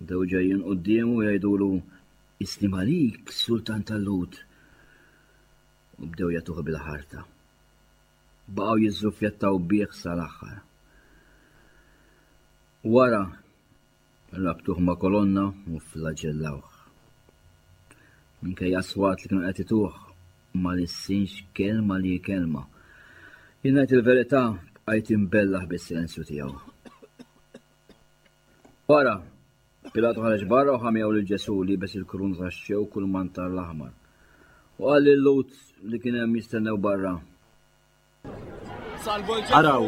Bdew ġejjin quddiemu jgħidulu Islim għalik, sultan tal-Lhud. U bdew jagħtuh bil-ħarta. Baqgħu jiżżuffjettaw bih sal-aħħar. Wara, rabtuh ma' kolonna u flaġellawh. Minkejja swat li kienu qed ituh, ma lissinx kelma li kelma. Jien ngħid il-verità, bqajt imbellaħ bis-silenzju tiegħu. Wara, Pilatu ħareġ barra u ħa miegħu lil Ġesù liebes il-kuruna tax-xewk u l-mantar l-aħmar. U qal lil-Lhud li kien hemm jistennew barra. Araw,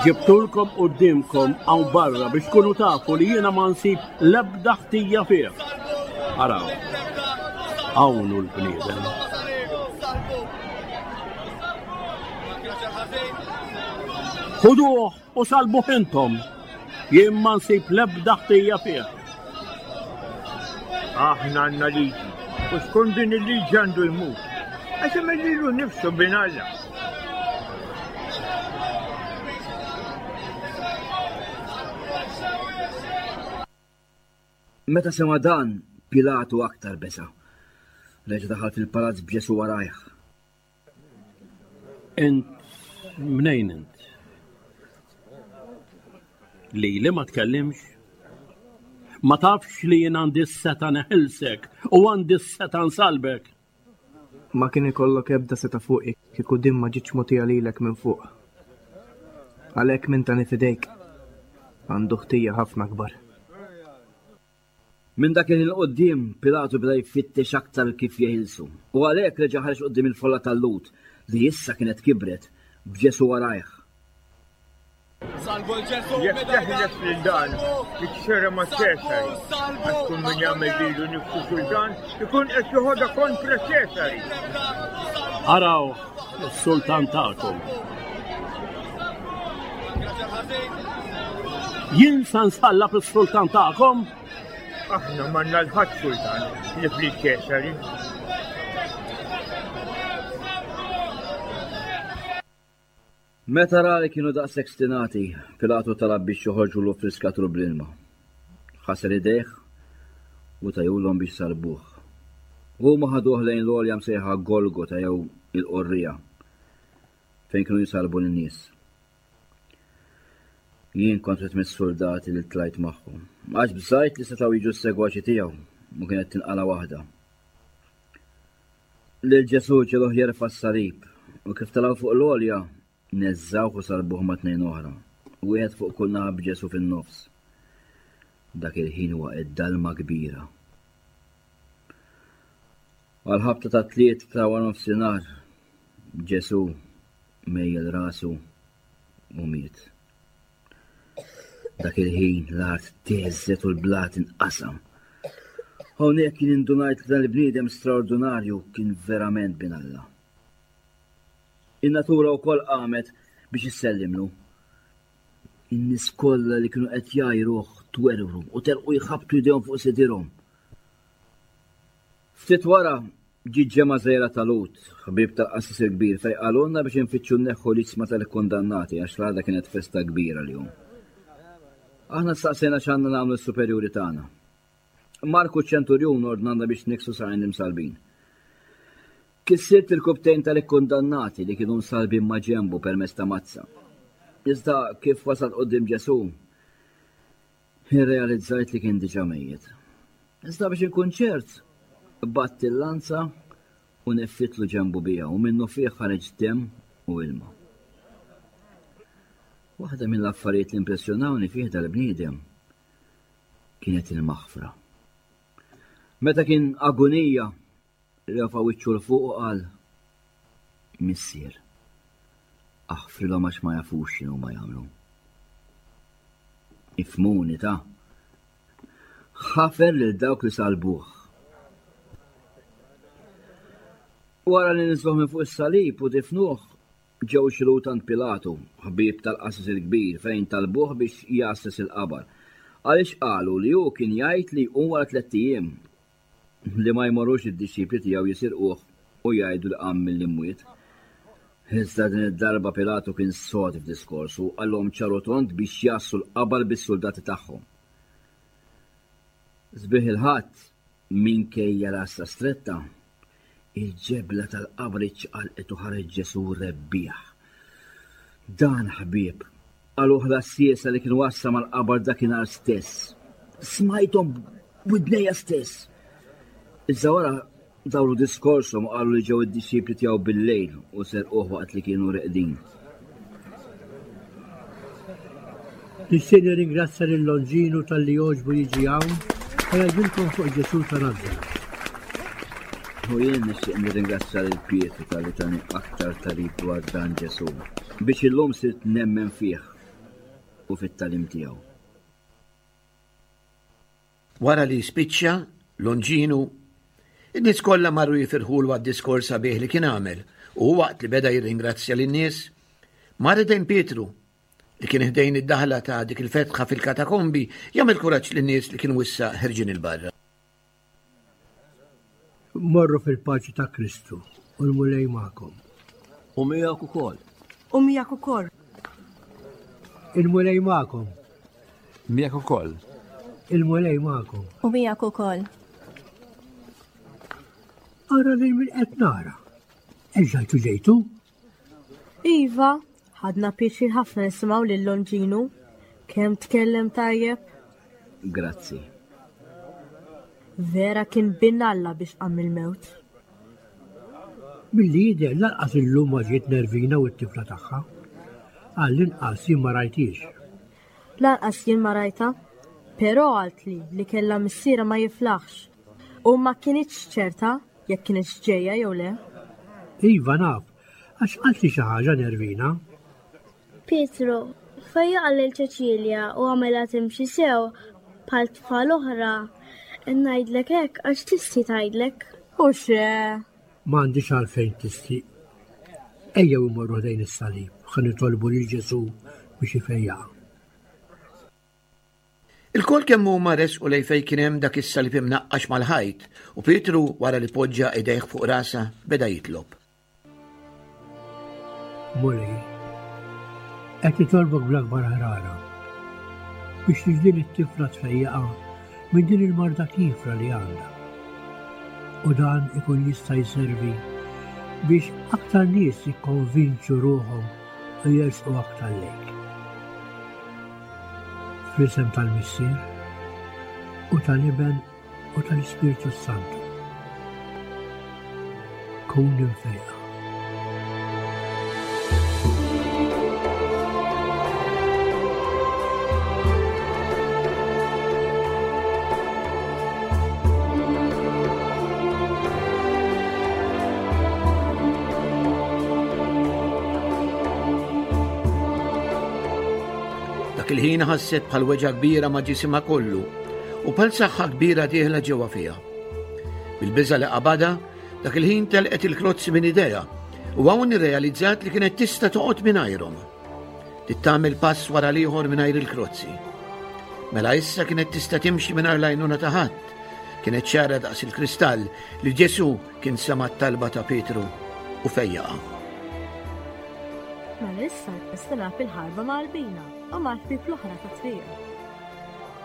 ġibtulkom quddiemkom hawn barra biex tkunu tafu li jiena ma nsib l-ebda ħtija fih. Araw, hawn hu l-bniedem. Ħuduh U salbuh intom, jien ma nsib l-ebda ħtija fih. Aħna għandna liġi, u skont din il-liġi għandu jmut, għax għamel lilu nnifsu bin Alla. Meta sema' dan, Pilatu aktar beża'. Reġa' daħal fil-palazz b'Ġesù warajh. Int mnejn int? Lili ma tkellimx? Ma tafx li jien għandi s-setgħa neħilsek u għandi s-setgħa nsalbek? Ma kien ikollok ebda setgħa fuqi kieku din ma ġietx mogħtija lilek minn fuq. Għalhekk min tani f'idejk għandu ħtija ħafna akbar. Minn dak il-ħin 'il quddiem, Pilatu beda jfittex aktar kif jeħilsu, u għalhekk reġa' ħareġ quddiem il-folla tal-Lhud, li issa kienet kibret, b'Ġesù warajh. Jekk teħles lil dan, tixxerra ma' Ċesari, għax kull min jagħmel lilu nnifsu sultan ikun qed joħodha kontra Ċesari. Araw is-sultan tagħkom. Jien sa nsallab is-sultan tagħkom? Aħna m'għandna l-ħadd sultan li fli Ċesari. Meta ra li kienu daqshekk stinati, Pilatu talab biex joħorġulu friskatru bl-ilma. Ħasel idejh u tajulhom biex salbuh. Huma ħaduh lejn l-għolja msejħa Golgota jew il-Qorrija, fejn kienu jsalbu lin-nies. Jien kont wieħed mis-suldati li tlajt magħhom. Għax bżajt li setgħu jiġu s-segwaċi tiegħu u kienet tinqala waħda. Lil Ġesù ġeluh jerfa' s-salib u kif telgħu fuq l-għolja neżżawh u salbuh ma' tnejn oħra, wieħed fuq kull naħa b'Ġesù fin-nofs. Dak il-ħin waqgħet dalma kbira. Għal ħabta ta' tliet ta' waranofsinhar Ġesù mejjel rasu u miet. Dak il-ħin l-art teżżet u l-blat inqasam. Hawnhekk kien indunajt li dan il-bniedem straordinarju kien verament bin Alla. In-natura wkoll qamet biex issellimlu. In-nies kollha li kienu qed jgħajruh twerwru u telqu jħabbtu jdejhom fuq sidirhom. Ftit wara, ġiet ġemgħa żgħira ta' Lhud, ħbieb tal-qassis il-kbir, fejn qalulna biex infittxu nneħħu l-iġsma tal-ikkundannati għax l-għada kienet festa kbira għalihom. Aħna staqsejna x'għandna nagħmlu lis-superjuri tagħna. Marku ċ-ċenturjun ordnalna biex niksu saqajn l-imsallbin. Kissirt il-kubtejn tal-ikkundannati li kienu msallbin ma' ġenbu permezz ta' mazza. Iżda kif wasalt quddiem Ġesù, Irrealizzajt li kien diġà mejjet. Iżda biex inkun ċert, qbadt il-lanza u neffitlu ġenbu biha u minnufih ħareġ demm u ilma. Waħda mill-affarijiet li impressjonawni fih dal-bniedem kienet il-maħfra. Meta kien agunija, refa' wiċċu 'l fuq u qal, Missier, aħfrilhom għax ma jafux x'inhuma jagħmlu. Ifhmuni ta'. Ħafer lil dawk li salbuh. Wara li niżluh minn fuq is-salib u difnuh, Ġew xi Lhud għand Pilatu, ħbieb tal-qassis il-kbir, fejn talbuh biex jgħasses il-qabar, għaliex qalu li hu kien jgħid li jqum wara tlett ijiem, li ma jmorrux id-dixxipli tiegħu jisirquh u jgħidu li qam mill-imwiet. Iżda din id-darba Pilatu kien sod f'diskorsu u qalhom ċar u tond biex jgħassu l-qabar bis-suldati tagħhom. Sbieħ il-Ħadd, minkejja l-għassa stretta, Il-ġebla tal-qabar iċċaqalqet u ħareġ Ġesù rebbieħ. Dan, ħbieb, qaluh l-għassiesa li kienu għassa mal-qabar dakinhar stess. Smajthom b'widnejja stess. Iżda wara dawru diskorshom u qalu li ġew id-dixxipli tiegħu bil-lejl u serquh waqt li kienu reqdin. Nixtieq nirringrazzja lil Longinu talli għoġbu jiġi hawn u jgħidilkom fuq Ġesù ta' Nazaret. U jien nixtieq nirringrazzja lil Pietru talli tani aktar tagħrif dwar dan Ġesù, biex illum sirt nemmen fih u fit-tagħlim tiegħu. Wara li spiċċa, Longinu, in-nies kollha marru jifirħulu għad-diskors sabiħ li kien għamel u waqt li beda jirringrazzja lin-nies, mar idejn Pietru li kien ħdejn id-daħla ta' dik il-fetħa fil-katakombi jagħmel kuraġġ lin-nies li kienu issa ħerġin 'il barra. Morru fil-paċi ta' Kristu u l-Mulej magħkom. U miegħek ukoll. U miegħek ukoll. Il-Mulej magħkom. Miegħek ukoll. Il-Mulej magħkom. U miegħek ukoll. Ara lil min qed nara. Erġajtu ġejtu? Iva, ħadna pjaċir ħafna nisimgħu lil Longinu. Kemm tkellem tajjeb. Grazzi. Vera kien bin Alla biex qam il-mewt. Milli jidher lanqas illum ma ġiet Nervina u t-tifla tagħha. Għall-inqas jien ma rajthiex. Lanqas jien ma rajtha. Però qaltli li kellha missierha ma jiflaħx u ma kinitx ċerta jekk kinitx ġejja jew le. Iva naf, għax qaltli xi ħaġa Nervina. Pietru, fejjaqha lil Ċeċilja u għamilha timxi sew bħal tfal oħra. Ngħidlek hekk għax tistħi tgħidlek. U xe? M'għandix għalfejn tistħi. Ejjew immorru ħdejn is-salib, ħa nitolbu lil Ġesù biex ifejjaqha. Ilkoll kemm huma resqu lejn fejn kien hemm dak is-salib imnaqqax mal-ħajt, u Pietru, wara li poġġa idejh fuq rasha, beda jitlob. Mulej, qed nitolbok bl-akbar ħrara biex lil din it-tifla tfejjaqha minn din il-marda kiefra li għandha. U dan ikun jista' jservi biex aktar nies jikkonvinċu ruħhom u jersqu aktar lejk. Fl-isem tal-Missier u tal-Iben u tal-Ispirtu s-Santu. Kun imfejqa. Dak il-ħin ħasset bħal weġgħa kbira ma' ġisimha kollu u bħal saħħa kbira dieħla ġewwa fiha. Bil-biża li qabadha, dak il-ħin telqet il-klozzi minn idejha u hawn irrealizzat li kienet tista' toqgħod mingħajrhom. Tittamel pass wara l-ieħor mingħajr il-krozzi. Mela issa kienet tista' timxi mingħajr l-għajnuna ta' ħadd. Kienet ċara daqs il-kristall li Ġesù kien sema' t-talba ta' Pietru u fejjaqha. Mela issa nista' nagħti il-ħarba ma' Albina u mal-ħbieb l-oħra tat-triq.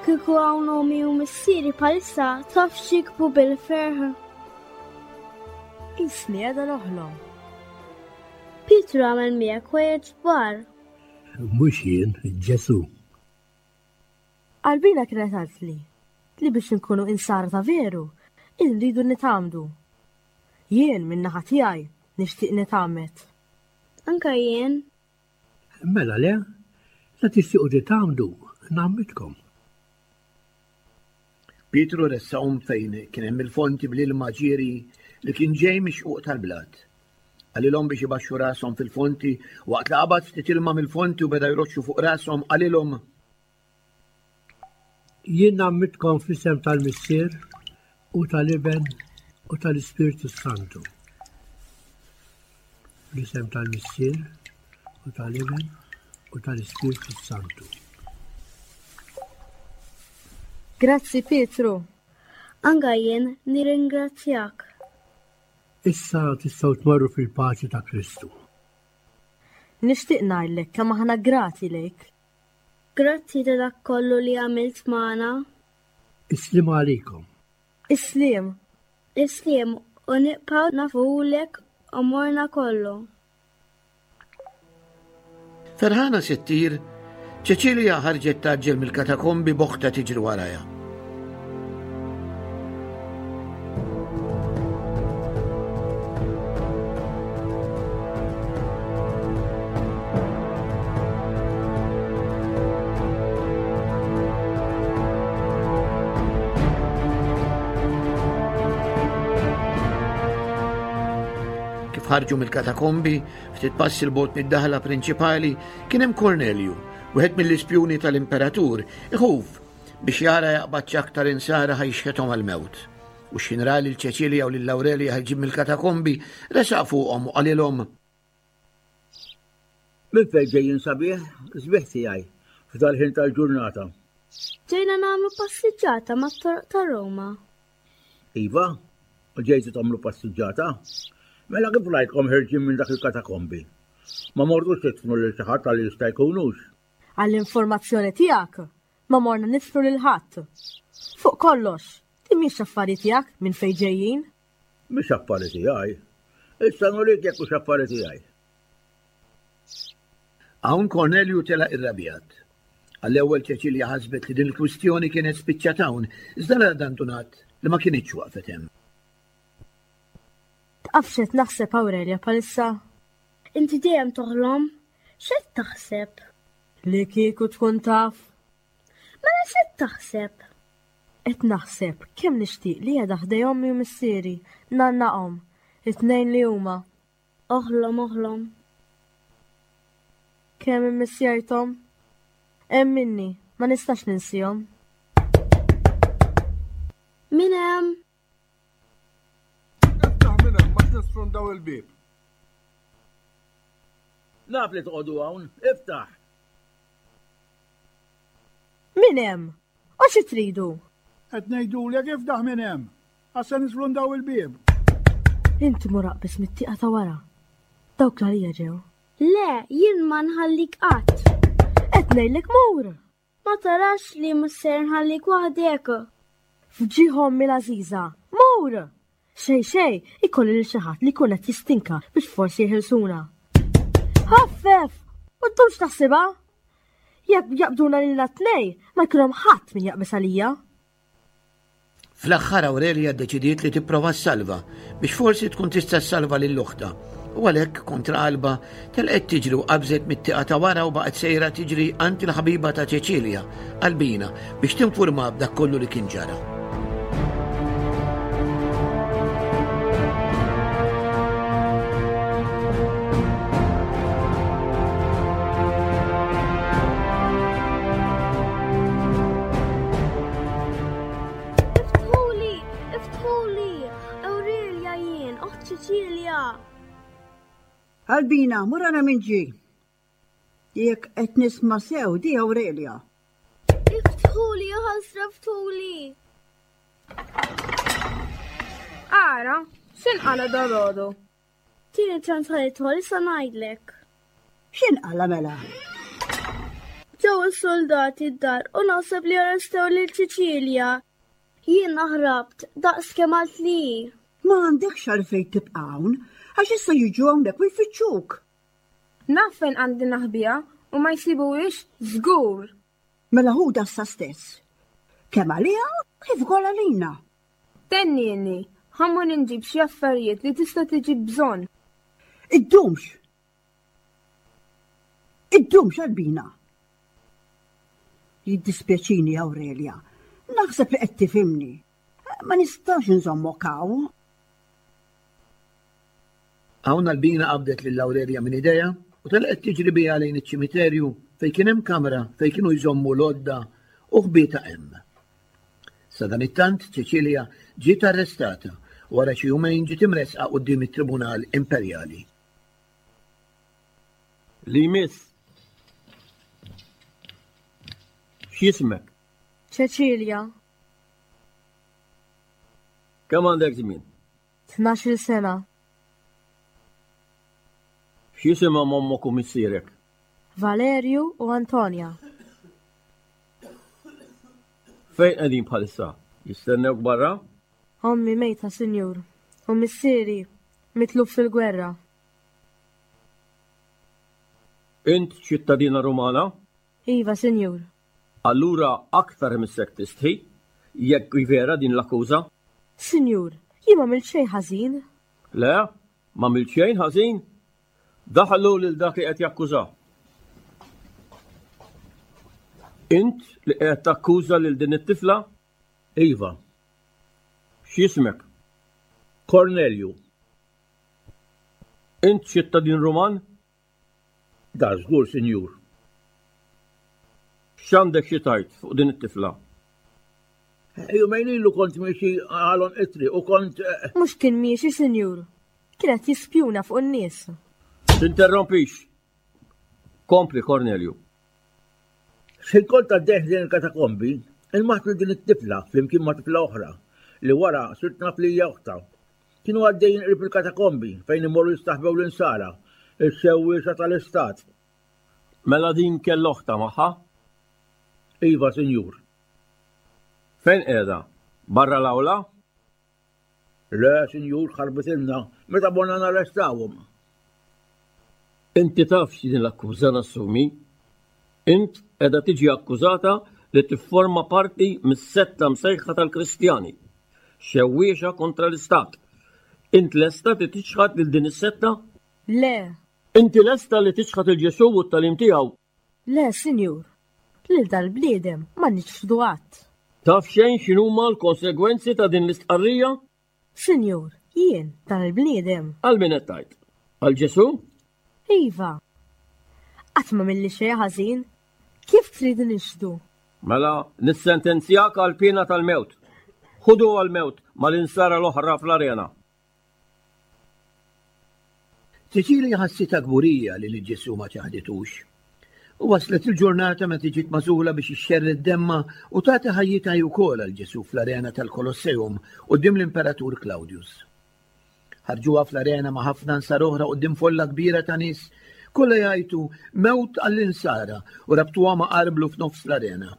Kieku hawn ommi u missieri bħalissa taf x'jikbu bil-ferħ. Qisni qiegħda noħlom. Pietru għamel miegħek ħwejjeġ kbar. Mhux jien, Ġesù. Albina kienet qaltli li biex inkunu insara ta' veru, irridu nitgħammdu. Jien, min-naħa tiegħi, nixtieq nitgħammed. Anke jien. Mela le, la tixtiequ titgħammdu, ngħammidkom. Pietru ressaqhom fejn kien hemm il-fonti bl-ilma ġieri li kien ġej mix-xquq tal-blat. Qalilhom biex ibaxxu rashom fil-fonti, waqt li qabad ftit ilma mill-fonti u beda jroxxu fuq rashom, qalilhom, Jien ngħammidkom fl-isem tal-Missier u tal-Iben u tal-Ispirtu s-Santu. Fl-isem tal-Missier u tal-Iben u tal-Ispirtu s-Santu. Grazzi Pietru. Anka jien nirringrazzjak. Issa tistgħu tmorru fil-paċi ta' Kristu. Nixtieq ngħidlek kemm aħna grati lejk. Grazzi ta' dak kollu li għamilt magħna. Is-sliem għalikom. Is-sliem. Is-sliem u nibqgħu nafulek għomorna kollu. Ferħana se ttir, Ċeċilja ħarġet tgħaġġel mill-katakombi b'oħtha tiġri warajha. Kif ħarġu mill-katakombi, Ftit passi 'l bogħod mid-daħla prinċipali kien hemm Kornelju, wieħed mill-ispjuni tal-imperatur, iħuf biex jara jaqbadx aktar insara ħa jixħethom għall-mewt. U x'ħin ra lil Ċeċilja u lil Awrelja ħerġin mill-katakombi, resaq fuqhom u qalilhom, Minn fejn ġejjin sabiħ, sbieħ tiegħi, f'dal-ħin tal-ġurnata? Ġejna nagħmlu passiġġata mat-toroq ta' Ruma. Iva, u ġejtu tagħmlu passiġġata? Mela kif rajtkom ħerġin minn dak il-katakombi? Ma mortux tidfnu lil xi ħadd għal jista' jkunux? Għall-informazzjoni tiegħek, ma morna nidfnu lil ħadd. Fuq kollox, din mhix affari tiegħek minn fejn ġejjin. Mhix affari tiegħi. Issa nurik jekk hux affari tiegħi. Hawn Kornelju telaq irrabjat. Għall-ewwel Ċeċilja ħasbet li din il-kwistjoni kienet spiċċat hawn, iżda la dan tunat li ma kinitx waqfet hemm. Taf x'qed naħseb Aurelia bħalissa? Inti dejjem toħlom. X'qed taħseb? Li kieku tkun taf. Mela x'qed taħseb? Qed naħseb kemm nixtieq li qiegħda ħdej ommi u missieri, ngħannaqhom, it-tnejn li huma. Oħlom, oħlom. Kemm immissjajthom? Emminni, ma nistax ninsihom. Min hemm? Iftaħ minn hemm ma nisfrundaw il-bieb. Naf li toqogħdu hawn, iftaħ. Min hemm? U xi tridu? Qed ngħidulek iftaħ minn hemm. Għax se nisfrundaw il-bieb. Inti mur aqbeż mit-tieqa ta' wara. Dawk l-għalija ġew. Le, jien ma nħallik qatt. Qed ngħidlek mur! Ma tarax li mhux ser nħallik waħdek. F'ġieħ ommi l-għażiża, mur! Xejn xejn, ikolli lil xi ħadd li jkun qed jistinka biex forsi jeħilsuna. Ħaffef! U ddumx taħsibha! Jekk jaqbduna lilna t-tnejn, ma jkun hemm ħadd min jaqbeż għalija. Fl-aħħar Aurelia ddeċidiet li tipprova ssalva biex forsi tkun tista' ssalva lil oħtha u għalhekk kontra qalbha telqet tiġri u qabżet mit-tieqa ta' wara u baqgħet sejra tiġri għand il-ħabiba ta' Ċeċilja, Albina, biex tinfurmaha b'dak kollu li kien ġara. Iftħuli! Iftħuli! Aurelia jien, oħt Ċeċilja! Albina, mur ara min ġie. Jekk qed nisma' sew di Aurelia. Iftħuli, ħasra ftħuli! Ara, x'inqala dalgħodu? Tieni ċans ħa nidħol issa ngħidlek. X'inqala mela? Ġew is-soldati d-dar u naħseb li arrestaw lil Ċiċilja. Jiena ħrabt daqs kemm għalt li hi. Ma għandekx għalfejn tibqa' hawn, għax issa jiġu hawnhekk u jfittxuk. Naf fejn għandi naħbiha u ma jsibuhiex żgur. Mela ħudha issa stess. Kemm għaliha kif ukoll għalina. Tennieni, ħa mmur inġib xi affarijiet li tista' tiġi bżonn. Iddumx! Iddumx Albina! Jiddispjaċini Aurelia. Naħseb li qed tifhimni. Ma nistax inżommok hawn. Hawn Albina qabdet lil Awrelja minn idejha u telqet tiġri biha lejn iċ-ċimiterju fejn kien hemm kamra fejn kienu jżommu l-għodda u ħbietha hemm. Sadanittant Ċeċilja ġiet arrestata u wara xi jumejn ġiet imressqa quddiem it-Tribunal Imperjali. Li jmiss. X'jismek? Ċeċilja. Kemm għandek żmien? 12-il sena. X'jisimhom ommok u missierek? Valerju u Antonia. Fejn qegħdin bħalissa? Jistennewk barra? Ommi mejta, sinjur, u missieri mitluf fil-gwerra. Int ċittadina Rumana? Iva, sinjur. Allura aktar imissek tistħi, jekk hi vera din l-akkuża. Sinjur, jien m'għamilt xejn ħażin. Le, m'għamilt xejn ħażin? Daħlu lil dak li qed jakkuża. Int li qed takkuża lil din it-tifla? Iva. X'jismek? Kornelju. Int ċittadin Ruman? Da żgur, sinjur. X'għandek xi tgħid fuq din it-tifla? Jumejn ilu kont miexi għal għonq it-triq u kont. Eh, Mhux kien miexi, sinjur. Kien qed jispjuna fuq in-nies. Tinterrompix. Kompli, Cornelju. X'ħin kont għaddej ħdejn il-katakombi, ilmaħt lil din it-tifla flimkien ma' tifla oħra li wara sirt naf li hija oħtha. Kienu għaddejjin qrib il-katakombi fejn imorru jistaħbew l-insara, ix-xewwiexa tal-istat. Mela din kellha oħtha magħha? Iva, sinjur. Fejn qiegħda? Barra l-awla? Le, sinjur, ħarbitilna meta morna narrestawhom. Inti taf x'din l-akkuża nassumi? Int qiegħda tiġi akkużata li tifforma parti mis-setta msejħa tal-Kristjani, xewwiexa kontra l-Istat. Int lesta li tiċħad lil din is-setta? Le. Inti lesta li tiċħad 'il Ġesù u t-tagħlim tiegħu? Le, Sinjur. Lil dal-bniedem ma niċħdu qatt. Taf xejn x'inhuma l-konsegwenzi ta' din l-istqarrija? Sinjur, jien, dan il-bniedem. Għal min qed tgħid? Għal Ġesù? Iva. Qatt m'għamilli xejn ħażin. Kif trid nixhdu? Mela nissentenzjak għal piena tal-mewt. Ħudu għall-mewt mal-insara l-oħra fl-arena. Cecilia ħassitha kburija li lil Ġesù ma ċaħditux. U waslet il-ġurnata meta ġiet magħżula biex ixxerred demmha u tagħti ħajjitha hi wkoll għal Ġesù fl-arena tal-Kolosseum quddiem l-Imperatur Claudius. Ħarġuha fl-arena ma' ħafna nsara oħra quddiem folla kbira ta' nies, kollha jgħajtu mewt għall-insara u rabtuha ma' arblu f'nofs l-arena.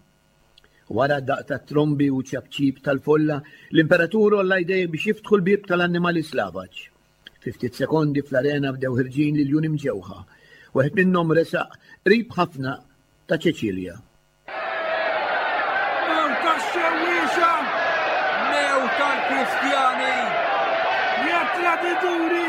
Wara d-daqq tat-trombi u ċapċip tal-folla, l-imperatur għolla jdejh biex jiftħu l-bieb tal-annimali slavaġ. Fi ftit sekondi fl-arena bdew ħirġin l-iljuni mġewħa. Wieħed minnhom resaq qrib ħafna ta' Ċeċilja. Mewt għax-xewwiexa! Mewt għall-Kristjani! Ja tradituri!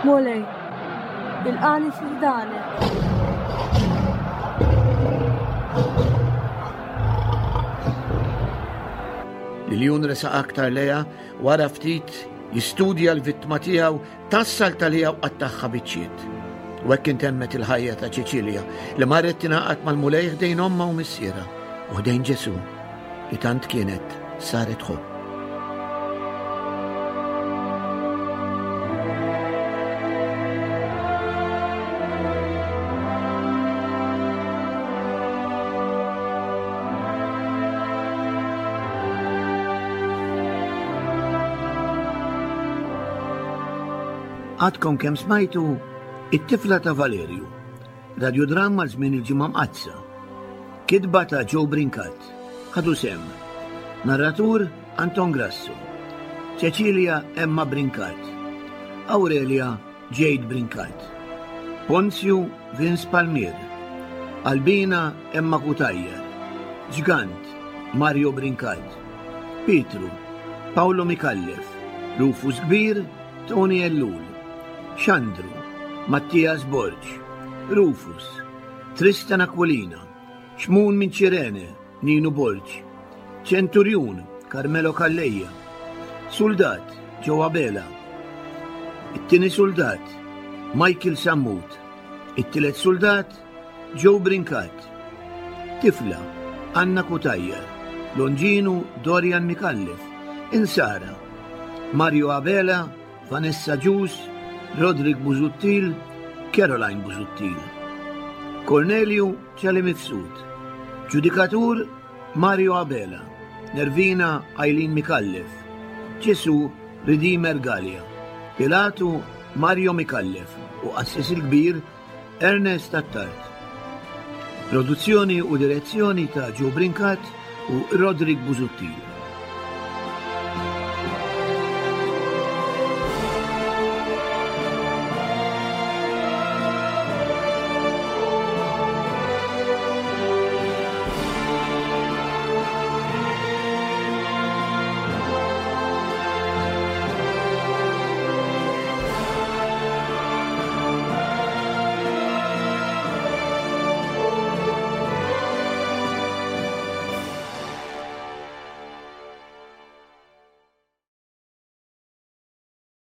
Mulej, ilqani fi ħdanek. L-iljun resaq aktar lejha wara ftit jistudja l-vittma tiegħu tassal talija u qattagħha biċċiet. U hekk intemmet il-ħajja ta' Ċeċilja li marret tingħaqad mal-Mulej ħdejn ommha u missierha u ħdejn Ġesù li tant kienet saret tħobb. Għadkom kemm smajtu It-tifla ta' Valerju, radjodramma għal żmien il-Ġimgħa Mqaddsa. Kitba ta' Joe Brincat. Ħadu sehem. Narratur Anton Grasso. Cecilia Emma Brincat. Aurelia Jade Brincat. Ponzju Vince Palmier. Albina Emma Cutajar. Ġgant Mario Brincat. Pietru Paolo Micallef. Rufus Kbir Tony Ellul. Xandru Mattias Borg. Rufus Tristan Aquilina. Xmun minn Ċirene Ninu Borg. Ċenturjun Carmelo Calleja. Suldat Joe Abela. It-tieni suldat Michael Sammut. It-tielet suldat Joe Brincat. Tifla Anna Cutajar. Longinu Dorian Micallef. Insara Mario Abela, Vanessa Agius, Roderick Busuttil, Caroline Busuttil. Corneliu Ċali Mifsud. Ġudikatur Mario Abela, Nervina Eileen Micallef, Ġesù Redeemer Galea, Pilatu Mario Micallef u Qassis il-Kbir Ernest Attard. Produzzjoni u direzzjoni ta' Joe Brincat u Roderick Busuttil.